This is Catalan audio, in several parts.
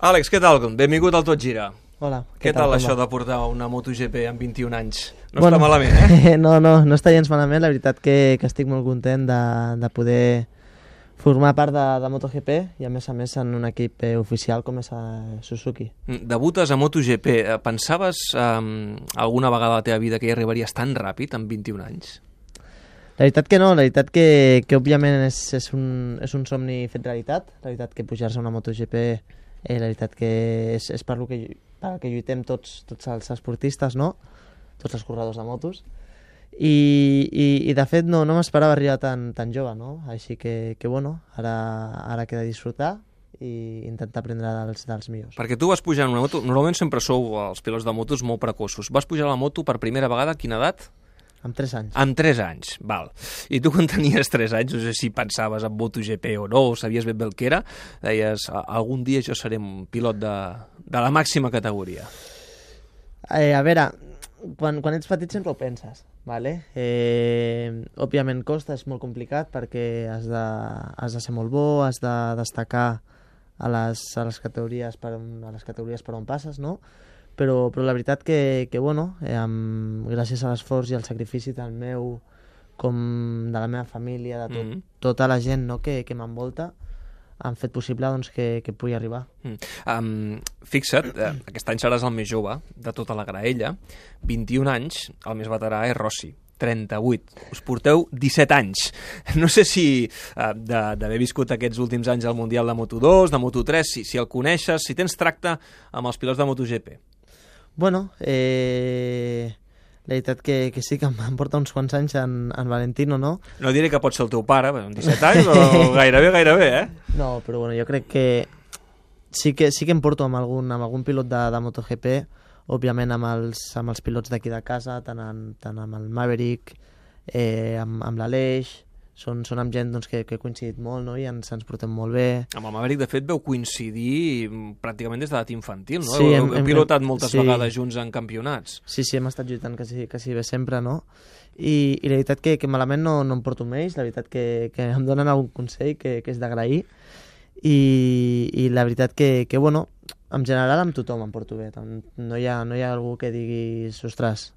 Àlex, què tal? Benvingut al Tot Gira. Hola. Què tal això de portar una MotoGP amb 21 anys? No està malament, eh? No està gens malament. La veritat que estic molt content de poder formar part de MotoGP i a més en un equip oficial com és Suzuki. Debutes a MotoGP. Pensaves alguna vegada a la teva vida que hi arribaries tan ràpid amb 21 anys? La veritat que no, la veritat que òbviament és un somni fet realitat. La veritat que pujar-se a una MotoGP, la veritat que és per el que lluitem tots els esportistes, no? Tots els corredors de motos. I de fet no m'esperava arribar tan jove, no? Així que bueno, ara queda disfrutar i intentar aprendre dels millors. Perquè tu vas pujar en una moto, normalment sempre sou els pilots de motos molt precoços. Vas pujar a la moto per primera vegada a quina edat? Amb 3 anys. Amb 3 anys, val. I tu quan tenies 3 anys, no sé si pensaves en MotoGP o no, o sabies ben bé el que era, deies, algun dia jo seré un pilot de la màxima categoria. A veure, quan ets petit sempre ho penses, ¿vale? Òbviament costa, és molt complicat perquè has de ser molt bo, has de destacar a les categories per on passes, no? Però la veritat que bueno, gràcies a l'esforç i al sacrifici del meu, com de la meva família, de tota la gent, no, que m'envolta, han fet possible doncs, que pugui arribar. Fixa't, aquest any seràs el més jove de tota la graella, 21 anys, el més veterà és Rossi, 38. Us porteu 17 anys. No sé si d'haver viscut aquests últims anys al Mundial de Moto2, de Moto3, si el coneixes, si tens tracte amb els pilots de MotoGP. Bueno, la veritat que sí que em porta uns quants anys en Valentino, no? No diré que pot ser el teu pare, amb 17 anys, però gairebé, eh? No, però bueno, jo crec que sí que em porto amb algun pilot de MotoGP, òbviament amb els pilots d'aquí de casa, tant amb el Maverick, amb l'Aleix, són amb gent doncs, que he coincidit molt, no? I ens portem molt bé. Amb el Maverick, de fet, veu coincidir pràcticament des de l'edat infantil, no? Sí, heu pilotat moltes vegades junts en campionats. Sí, hem estat lluitant quasi bé sempre, no? I la veritat que malament no em porto amb ells, la veritat que em donen algun consell que és d'agrair i la veritat que bueno, en general amb tothom em porto bé, no hi ha algú que diguis, ostres,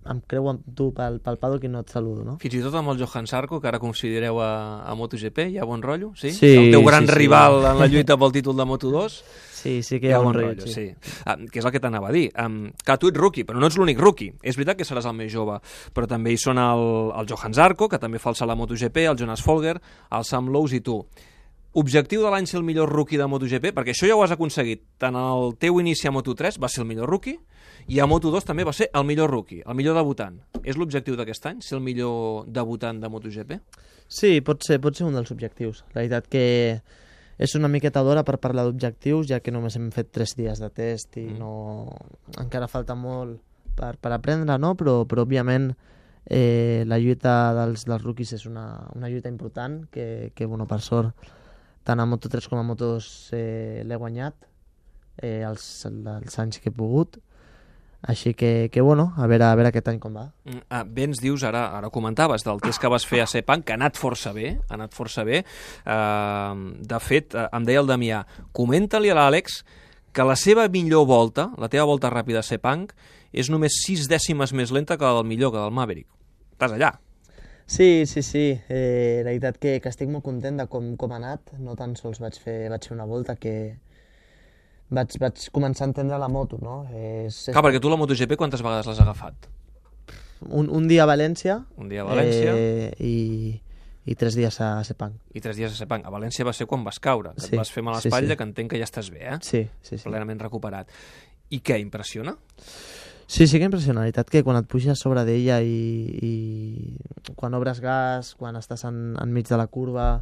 em creu amb tu pel paddock i no et saludo, no? Fins i tot amb el Johan Zarco, que ara considereu a MotoGP, hi ha bon rotllo? Sí? Sí, el teu gran rival en la lluita pel títol de Moto2? Sí que hi ha bon rotllo, sí. Què és el que t'anava a dir? Que tu ets rookie, però no ets l'únic rookie. És veritat que seràs el més jove, però també hi són el Johan Zarco, que també fa el salt a MotoGP, el Jonas Folger, el Sam Lowes i tu. Objectiu de l'any ser el millor rookie de MotoGP, perquè això ja ho has aconseguit. Tant el teu inici a Moto3 va ser el millor rookie, i a Moto2 també va ser el millor rookie, el millor debutant. És l'objectiu d'aquest any, ser el millor debutant de MotoGP? Sí, pot ser un dels objectius. La veritat que és una miqueta d'hora per parlar d'objectius, ja que només hem fet 3 dies de test i encara falta molt per aprendre, no? Però òbviament la lluita dels rookies és una lluita important que bueno, per sort, tant a Moto3 com a Moto2 l'he guanyat els anys que he pogut. Així que bueno, a veure aquest any com va. Bé ens dius, ara comentaves del test que vas fer a Sepang, que ha anat força bé. De fet, em deia el Damià, comenta-li a l'Àlex que la seva millor volta, la teva volta ràpida a Sepang, és només 6 dècimes més lenta que la del millor, que del Maverick. Estàs allà. Sí. La veritat que estic molt content de com ha anat. No tan sols vaig fer una volta que vaig començar a entendre la moto, no? Clar, perquè tu la MotoGP quantes vegades l'has agafat? Un dia a València. I 3 dies a Sepang. I 3 dies a Sepang. A València va ser quan vas caure, que et vas fer mal a l'espatlla, que entenc que ja estàs bé, eh? Sí. Plenament recuperat. I què, impressiona? Sí que impressiona. La veritat que quan et puges sobre d'ella i quan obres gas, quan estàs enmig de la curva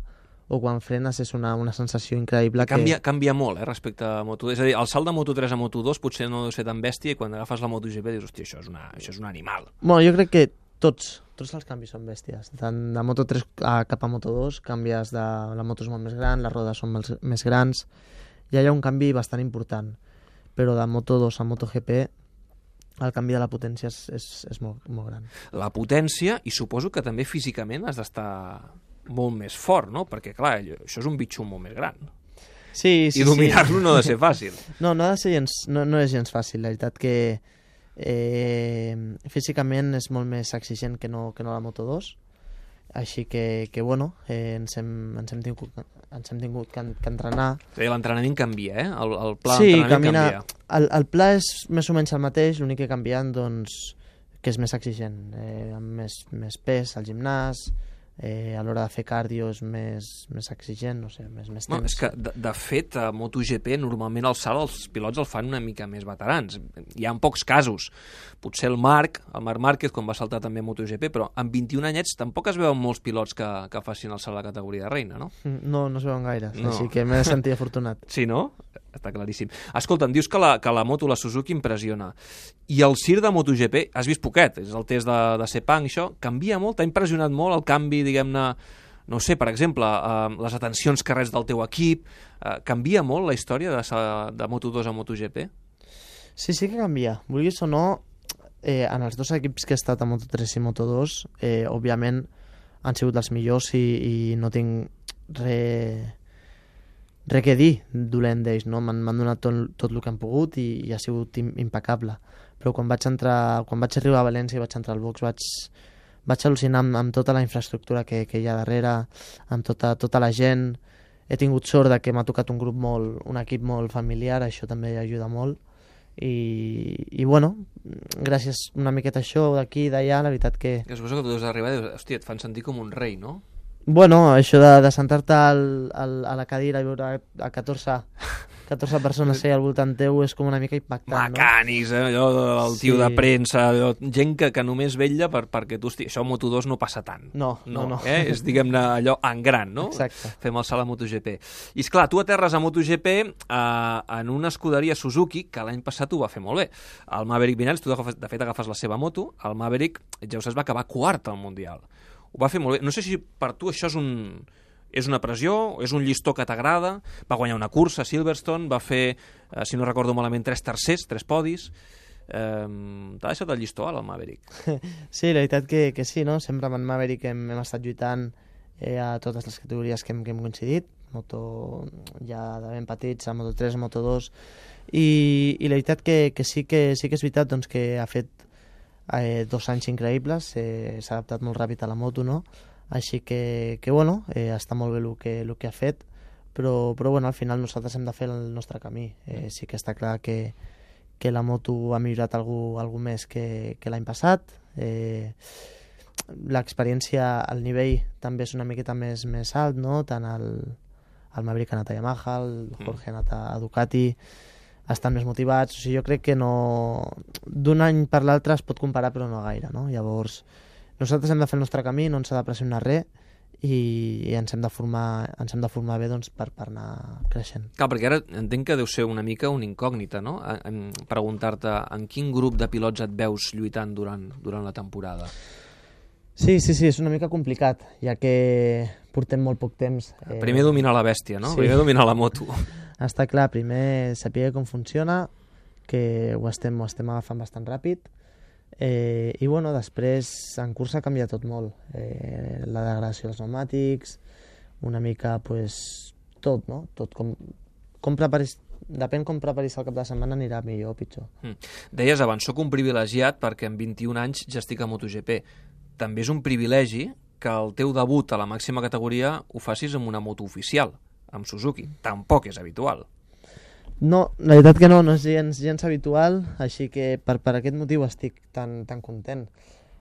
o quan frenes, és una sensació increïble. Canvia molt, respecte a Moto2. És a dir, el salt de Moto3 a Moto2 potser no deu ser tan bèstia i quan agafes la MotoGP dius, hòstia, això és un animal. Bueno, jo crec que tots els canvis són bèsties. Tant de Moto3 cap a Moto2 canvies la moto és molt més gran, les rodes són més grans, ja hi ha un canvi bastant important. Però de Moto2 a MotoGP el canvi de la potència és molt gran. La potència, i suposo que també físicament has d'estar molt més fort, no? Perquè, clar, això és un bitxo molt més gran. Sí, i dominar-lo no ha de ser fàcil. No és gens fàcil. La veritat que físicament és molt més exigent que no la Moto2, així que bueno, ens hem tingut que entrenar. L'entrenament canvia, el pla sí, d'entrenament canvia. El pla és més o menys el mateix, l'únic que ha canviat, doncs, que és més exigent, amb més pes al gimnàs, a l'hora de fer cardio és més exigent, no sé, més temps. És que, de fet, a MotoGP normalment el salt els pilots el fan una mica més veterans. Hi ha pocs casos. Potser el Marc Márquez, quan va saltar també a MotoGP, però amb 21 anyets tampoc es veuen molts pilots que facin el salt a la categoria de reina, no? No es veuen gaires, així que m'he de sentir afortunat. Sí, no? Està claríssim. Escolta, em dius que la moto, la Suzuki, impressiona. I el CIR de MotoGP, has vist poquet, és el test de Sepang, això, canvia molt, t'ha impressionat molt el canvi, diguem-ne, no sé, per exemple, les atencions que reps del teu equip, canvia molt la història de Moto2 a MotoGP? Sí que canvia. Vulguis o no, en els dos equips que he estat a Moto3 i Moto2, òbviament han sigut els millors i no tinc res que dir dolent d'ells, no? M'han donat tot el que han pogut i ha sigut impecable. Però quan vaig arribar a València i vaig entrar al box, vaig al·lucinar amb tota la infraestructura que hi ha darrere, amb tota la gent. He tingut sort de que m'ha tocat un equip molt familiar, això també ajuda molt. I bueno, gràcies una miqueta a això, d'aquí i d'allà, la veritat que... Que suposo que tu has d'arribar i dius, hòstia, et fan sentir com un rei, no? Bueno, això de sentar-te a la cadira i veure a 14 persones al voltant teu és com una mica impactant, Mecànics, allò del tio de premsa, gent que només vetlla perquè tu estiguis... Això a Moto2 no passa tant. No. És, diguem-ne, allò en gran, no? Exacte. Fem el salt a MotoGP. I esclar, tu aterres a MotoGP en una escuderia Suzuki que l'any passat ho va fer molt bé. El Maverick Viñales, tu de fet agafes la seva moto, el Maverick, ja ho saps, va acabar quart al Mundial. Ho va fer molt bé. No sé si per tu això és una pressió, és un llistó que t'agrada. Va guanyar una cursa a Silverstone, va fer, si no recordo malament, 3 tercers, 3 podis. T'ha deixat el llistó al Maverick? Sí, la veritat que sí, no? Sempre amb el Maverick hem estat lluitant a totes les categories que hem coincidit, moto ja de ben petits, a Moto3, a Moto2, i la veritat que sí que és veritat, doncs, que ha fet 2 anys increïbles, s'ha adaptat molt ràpid a la moto, no? Així que bueno, està molt bé el que ha fet, però bueno, al final nosaltres hem de fer el nostre camí. Sí que està clar que la moto ha millorat algú més que l'any passat. L'experiència, el nivell també és una miqueta més alt, no? Tant el Maverick ha anat a Yamaha, el Jorge ha anat a Ducati, estan més motivats, o sigui, jo crec que no... d'un any per l'altre es pot comparar, però no gaire, no? Llavors, nosaltres hem de fer el nostre camí, no ens ha de pressionar res, i ens hem de formar bé, doncs, per anar creixent. Clar, perquè ara entenc que deu ser una mica una incògnita, no? Preguntar-te en quin grup de pilots et veus lluitant durant la temporada. Sí, és una mica complicat, ja que portem molt poc temps. Primer dominar la bèstia, no? Sí. Primer dominar la moto. Està clar, primer saber com funciona, que ho estem agafant bastant ràpid, i bueno, després en cursa canvia tot molt. La degradació dels pneumàtics, una mica, pues, tot, no? Tot com preparis, depèn com preparis el cap de setmana anirà millor o pitjor. Deies abans, soc un privilegiat perquè amb 21 anys ja estic a MotoGP. També és un privilegi que el teu debut a la màxima categoria ho facis amb una moto oficial, amb Suzuki. Tampoc és habitual. No, la veritat que no és gens habitual, així que per aquest motiu estic tan content.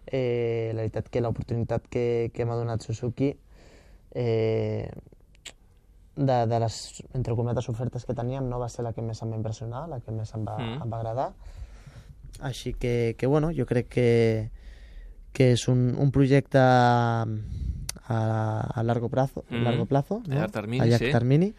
La veritat que l'oportunitat que m'ha donat Suzuki, de les, entre cometes, ofertes que teníem, no va ser la que més em va impressionar, la que més em va agradar. Així que bueno, jo crec que és un projecte a largo plazo, no? A llarg termini, a llarg termini.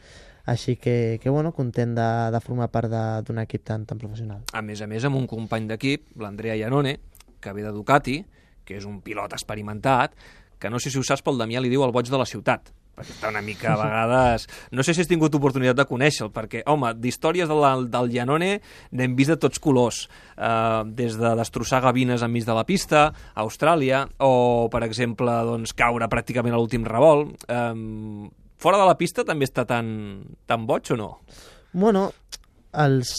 Així que bueno, content de formar part d'un equip tan professional. A més, amb un company d'equip, l'Andrea Iannone, que ve de Ducati, que és un pilot experimentat, que no sé si ho saps, pel Damià li diu el boig de la ciutat, perquè està una mica a vegades... No sé si has tingut oportunitat de conèixer-lo, perquè, home, d'històries del Iannone n'hem vist de tots colors, des de destrossar gavines enmig de la pista, a Austràlia, o, per exemple, doncs, caure pràcticament a l'últim revolt. fora de la pista també està tan boig o no? Bueno, els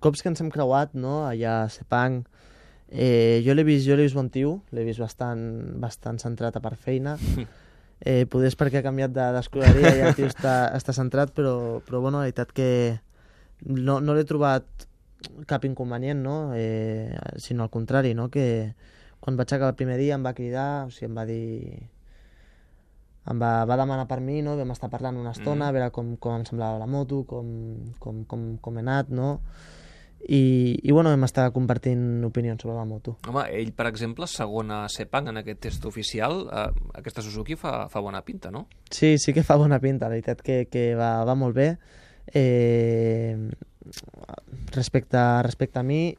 cops que ens hem creuat, no?, allà a Sepang, jo l'he vist bon tio, l'he vist bastant centrat a part feina. Poder és perquè ha canviat d'escolaria i el tio està centrat, però bueno, la veritat que no l'he trobat cap inconvenient, no? Sinó al contrari, no? Que quan vaig acabar el primer dia em va cridar, o sigui, em va dir... Em va demanar per mi, no? Vam estar parlant una estona, a veure com em semblava la moto, com he anat, no? I bueno, vam estar compartint opinions sobre la moto. Home, ell, per exemple, segon a Sepang en aquest test oficial, aquesta Suzuki fa bona pinta, no? Sí que fa bona pinta, la veritat que va molt bé. Respecte a mi,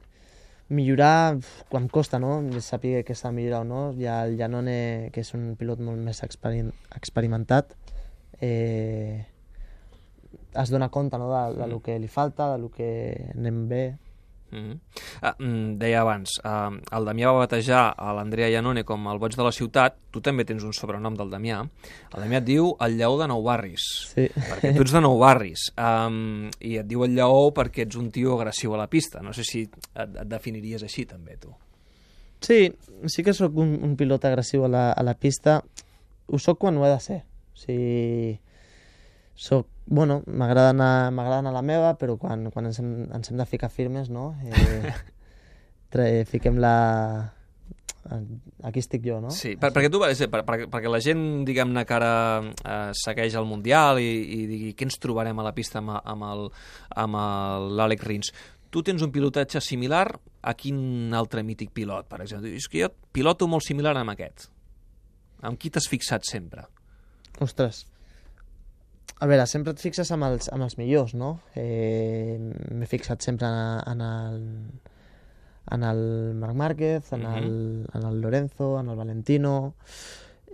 millorar quan costa, no? Saber que s'ha de millorar o no. Ja el Janone, que és un pilot molt més experimentat, es dona compte, no?, de lo que li falta, de lo que anem bé. Deia abans, el Damià va batejar a l'Andrea Janone com el boig de la ciutat. Tu també tens un sobrenom del Damià. El Damià et diu el lleó de Nou Barris, sí, perquè tu ets de Nou Barris, i et diu el lleó perquè ets un tio agressiu a la pista. No sé si et definiries així també, tu. Sí que sóc un pilot agressiu a la pista. Ho sóc quan ho he de ser. O sigui, m'agrada anar a la meva, però quan ens hem de ficar firmes, no? Fiquem la... Aquí estic jo, no? Sí, perquè la gent, diguem-ne, que ara segueix el Mundial i digui què ens trobarem a la pista amb l'Àlex Rins. Tu tens un pilotatge similar a quin altre mític pilot, per exemple? És que jo piloto molt similar amb aquest. Amb qui t'has fixat sempre? Ostres, a veure, sempre et fixes amb els millors, no? M'he fixat sempre en el Marc Márquez, en el Lorenzo, en el Valentino.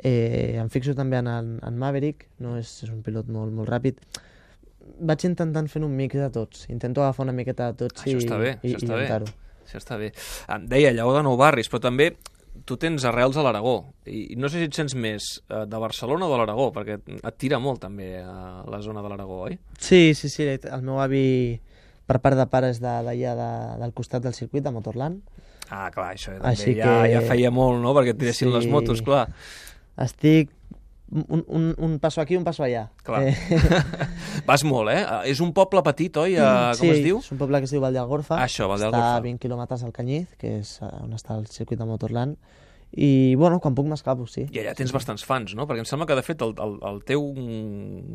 Em fixo també en Maverick, no? És un pilot molt ràpid. Vaig intentant fer un mix de tots. Intento agafar una miqueta de tots i inventar-ho. Això està bé. Deia, lleó de Nou Barris, però també tu tens arrels a l'Aragó, i no sé si et sents més de Barcelona o de l'Aragó, perquè et tira molt també a la zona de l'Aragó, oi? Sí, el meu avi per part de pare és d'allà del costat del circuit de Motorland. Ah, clar, això també ja feia molt, no?, perquè et tiressin les motos, clar. Estic un passo aquí, un passo allà. Clar. Vas molt, eh? És un poble petit, oi? Com es diu? Sí, és un poble que es diu Vall d'Algorfa. Això, Vall d'Algorfa. Està a 20 quilòmetres al Canyiz, que és on està el circuit de Motorland. I, bueno, quan puc m'escapo, sí. I allà tens bastants fans, no? Perquè em sembla que, de fet, el teu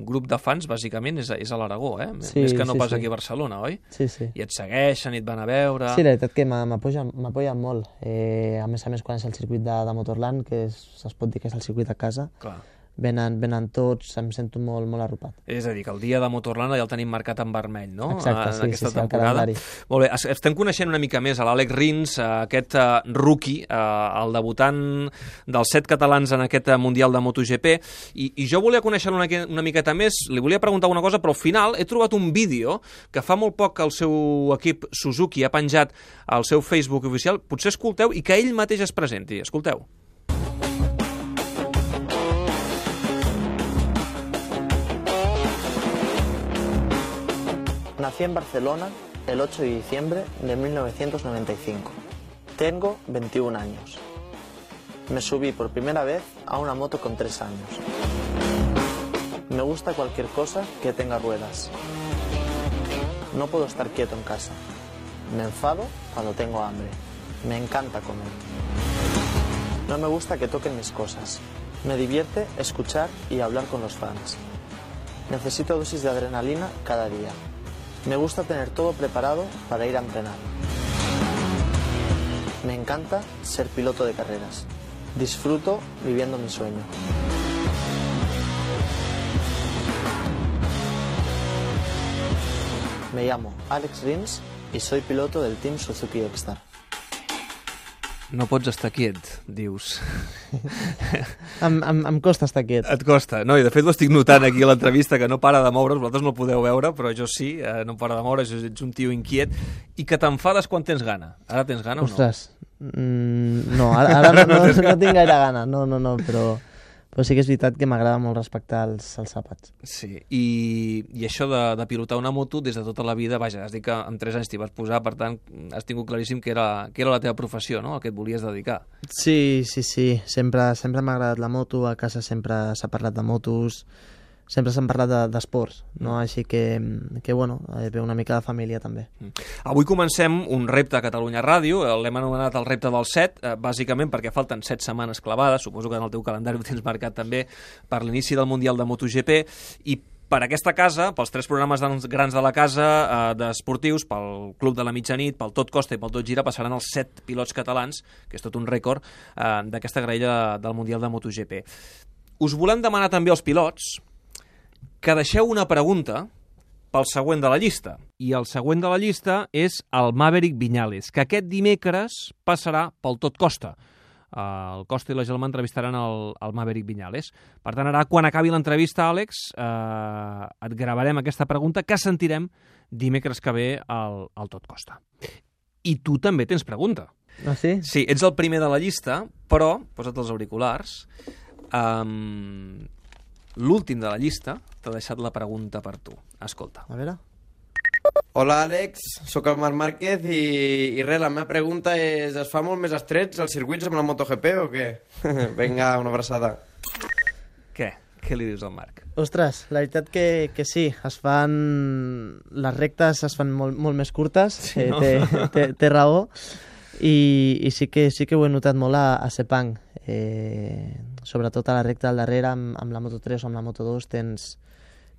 grup de fans, bàsicament, és a l'Aragó, eh? Més que no pas aquí a Barcelona, oi? Sí. I et segueixen, i et van a veure... Sí, la veritat que m'apoyen molt. A més, quan és el circuit de Motorland, que es pot dir que és el circuit a casa, clar, venen tots, em sento molt arropat. És a dir, que el dia de Motorland ja el tenim marcat en vermell, no? Exacte, en aquesta sí, temporada. Molt bé, estem coneixent una mica més a l'Àlex Rins, aquest rookie, el debutant dels 7 catalans en aquest Mundial de MotoGP, i jo volia conèixer una miqueta més, li volia preguntar una cosa, però al final he trobat un vídeo que fa molt poc que el seu equip Suzuki ha penjat al seu Facebook oficial, potser escolteu, i que ell mateix es presenti. Escolteu. Nací en Barcelona el 8 de diciembre de 1995. Tengo 21 años. Me subí por primera vez a una moto con 3 años. Me gusta cualquier cosa que tenga ruedas. No puedo estar quieto en casa. Me enfado cuando tengo hambre. Me encanta comer. No me gusta que toquen mis cosas. Me divierte escuchar y hablar con los fans. Necesito dosis de adrenalina cada día. Me gusta tener todo preparado para ir a entrenar. Me encanta ser piloto de carreras. Disfruto viviendo mi sueño. Me llamo Àlex Rins y soy piloto del Team Suzuki X-Star. No pots estar quiet, dius. Em costa estar quiet. Et costa. No, i de fet ho estic notant aquí a l'entrevista, que no para de moure's, vosaltres no ho podeu veure, però jo sí, no para de moure's, ets un tio inquiet, i que t'enfades quan tens gana. Ara tens gana o no? Ostres, no, ara no tinc gaire gana, no, Però sí que és veritat que m'agrada molt respectar els àpats. Sí, i això de pilotar una moto des de tota la vida, vaja, has dit que amb 3 anys t'hi vas posar, per tant, has tingut claríssim que era la teva professió, no?, el que et volies dedicar. Sí. Sempre m'ha agradat la moto, a casa sempre s'ha parlat de motos, sempre s'han parlat d'esports, no? Així que bueno, ve una mica de família també. Avui comencem un repte a Catalunya Ràdio, l'hem anomenat el repte del 7, bàsicament perquè falten 7 setmanes clavades, suposo que en el teu calendari ho tens marcat també, per l'inici del Mundial de MotoGP, i per aquesta casa, pels 3 programes grans de la casa d'esportius, pel Club de la Mitjanit, pel Tot Costa i pel Tot Gira, passaran els 7 pilots catalans, que és tot un rècord, d'aquesta graella del Mundial de MotoGP. Us volem demanar també als pilots que deixeu una pregunta pel següent de la llista. I el següent de la llista és el Maverick Viñales, que aquest dimecres passarà pel Tot Costa. El Costa i la Gelma entrevistaran el Maverick Viñales. Per tant, ara, quan acabi l'entrevista, Àlex, et gravarem aquesta pregunta que sentirem dimecres que ve al Tot Costa. I tu també tens pregunta. Ah, sí? Sí, ets el primer de la llista, però, posa't els auriculars, l'últim de la llista t'ha deixat la pregunta per tu. Escolta. A veure. Hola Àlex, sóc el Marc Márquez i res, la meva pregunta és: es fa molt més estrets els circuits amb la MotoGP o què? Vinga, una abraçada. Què? Què li dius al Marc? Ostres, la veritat que sí, les rectes es fan molt més curtes, sí, no? té raó, i sí que ho he notat molt a Sepang, sobretot a la recta del darrere amb la Moto3 o amb la Moto2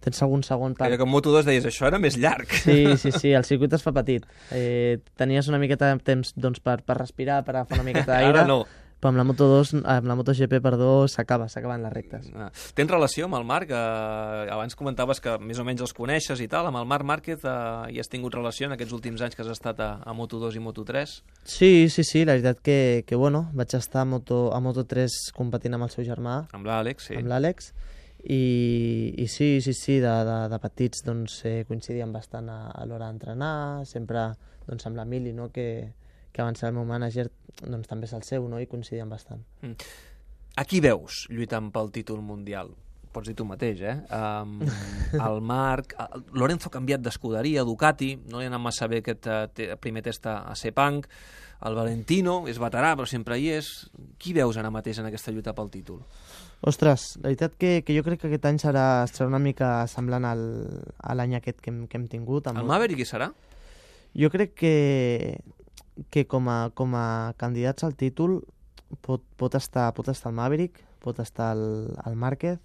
tens algun segon per... Que amb Moto2 deies, això era més llarg. Sí, el circuit es fa petit. Tenies una miqueta de temps doncs, per respirar, per agafar una miqueta d'aire. Ara no. Però amb la Moto2, amb la MotoGP, s'acaben les rectes. Tens relació amb el Marc? Abans comentaves que més o menys els coneixes i tal. Amb el Marc Márquez hi has tingut relació en aquests últims anys que has estat a Moto2 i Moto3? Sí, la veritat que bueno, vaig estar a Moto3 competint amb el seu germà. Amb l'Àlex, sí. Amb l'Àlex. I sí, de petits doncs, coincidíem bastant a l'hora d'entrenar, sempre doncs, amb l'Emili, no? que abans era el meu manager, doncs també és el seu, no? I coincidíem bastant. A qui veus lluitant pel títol mundial? Pots dir tu mateix, el Marc... Lorenzo ha canviat d'escuderia, Ducati, no li ha anat massa bé aquest primer test a Sepang, el Valentino és veterà, però sempre hi és. Qui veus ara mateix en aquesta lluita pel títol? Ostres, la veritat que jo crec que aquest any serà una mica semblant a l'any aquest que hem tingut. El Maverick hi serà? Jo crec que com a candidats al títol pot estar el Maverick, pot estar el Márquez,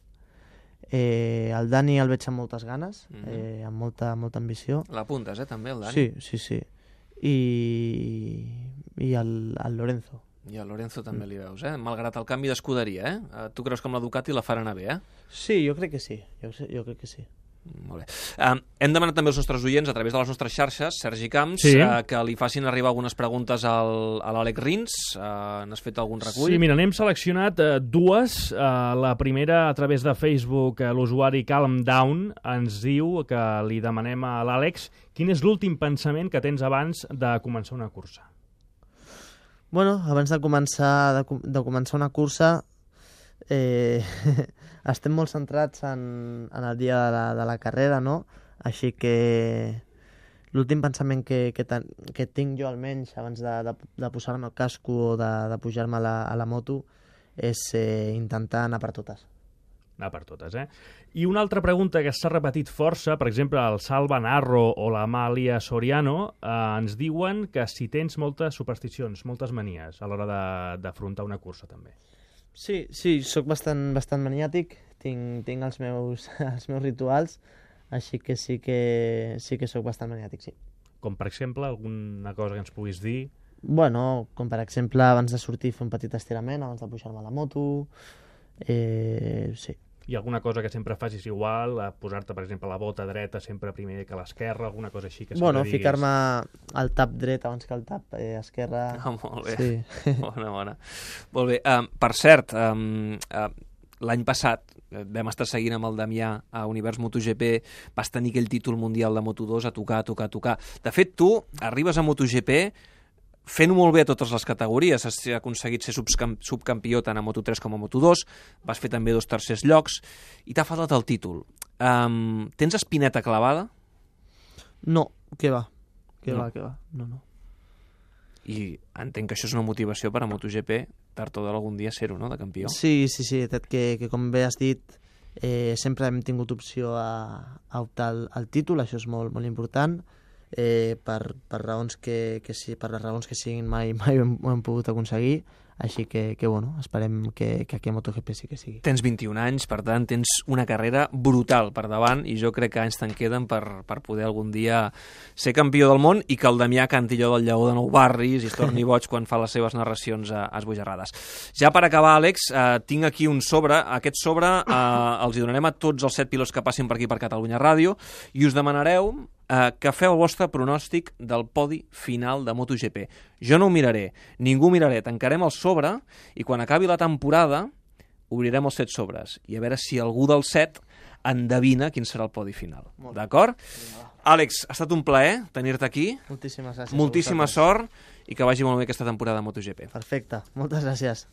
el Dani el veig amb moltes ganes, amb molta ambició. L'apuntes, també, el Dani? Sí. I el Lorenzo. I el Lorenzo també li veus, malgrat el canvi d'escuderia, Tu creus que amb la Ducati la faran bé, Sí, jo crec que sí, jo crec que sí. Molt bé. Hem demanat també als nostres oients, a través de les nostres xarxes, Sergi Camps, que li facin arribar algunes preguntes a l'Àlex Rins. N'has fet algun recull? Sí, mira, n'hem seleccionat dues. La primera, a través de Facebook, l'usuari Calm Down ens diu que li demanem a l'Àlex quin és l'últim pensament que tens abans de començar una cursa. Bueno, abans de començar una cursa estem molt centrats en el dia de la carrera, no? Així que l'últim pensament que tinc jo almenys abans de posar-me el casco o de pujar-me a la moto és intentar anar per totes. Anar per totes, I una altra pregunta que s'ha repetit força, per exemple, el Salva Narro o l'Amàlia Soriano, ens diuen que si tens moltes supersticions, moltes manies a l'hora d'afrontar una cursa, també. Sí, sóc bastant maniàtic, tinc els meus rituals, així que sí que sóc bastant maniàtic, sí. Com, per exemple, alguna cosa que ens puguis dir? Bueno, com per exemple, abans de sortir fer un petit estirament, abans de pujar-me a la moto, sí. Hi ha alguna cosa que sempre facis igual, posar-te, per exemple, la bota dreta sempre primer que l'esquerra, alguna cosa així que sempre diguis? Ficar-me el tap dret abans que el tap esquerra. Molt bé, sí. Bona. Molt bé, per cert, l'any passat vam estar seguint amb el Damià a Univers MotoGP, vas tenir aquell títol mundial de Moto2 a tocar. De fet, tu arribes a MotoGP fent-ho molt bé a totes les categories. Has aconseguit ser subcampió tant a Moto3 com a Moto2, vas fer també 2 tercers llocs, i t'ha faltat el títol. Tens espineta clavada? No, què va. No. No. I entenc que això és una motivació per a MotoGP, tard o d'algun dia ser-ho, no?, de campió. Sí, que com bé has dit, sempre hem tingut opció a optar al títol, això és molt, molt important, per raons que per les raons que siguin mai ho hem pogut aconseguir, així que bueno, esperem que aquí a MotoGP sí que sigui. Tens 21 anys, per tant, tens una carrera brutal per davant i jo crec que anys te'n queden per poder algun dia ser campió del món i que el Damià canti allò del lleó de Nou Barris i es torni boig quan fa les seves narracions esbojarrades. Ja per acabar, Àlex, tinc aquí un sobre. Aquest sobre els hi donarem a tots els 7 pilots que passin per aquí per Catalunya Ràdio i us demanareu que feu el vostre pronòstic del podi final de MotoGP. Jo no ho miraré, ningú miraré, tancarem el sobre i quan acabi la temporada obrirem els 7 sobres i a veure si algú dels 7 endevina quin serà el podi final. D'acord? Àlex, ha estat un plaer tenir-te aquí. Moltíssimes gràcies. Moltíssima sort i que vagi molt bé aquesta temporada de MotoGP. Perfecte, moltes gràcies.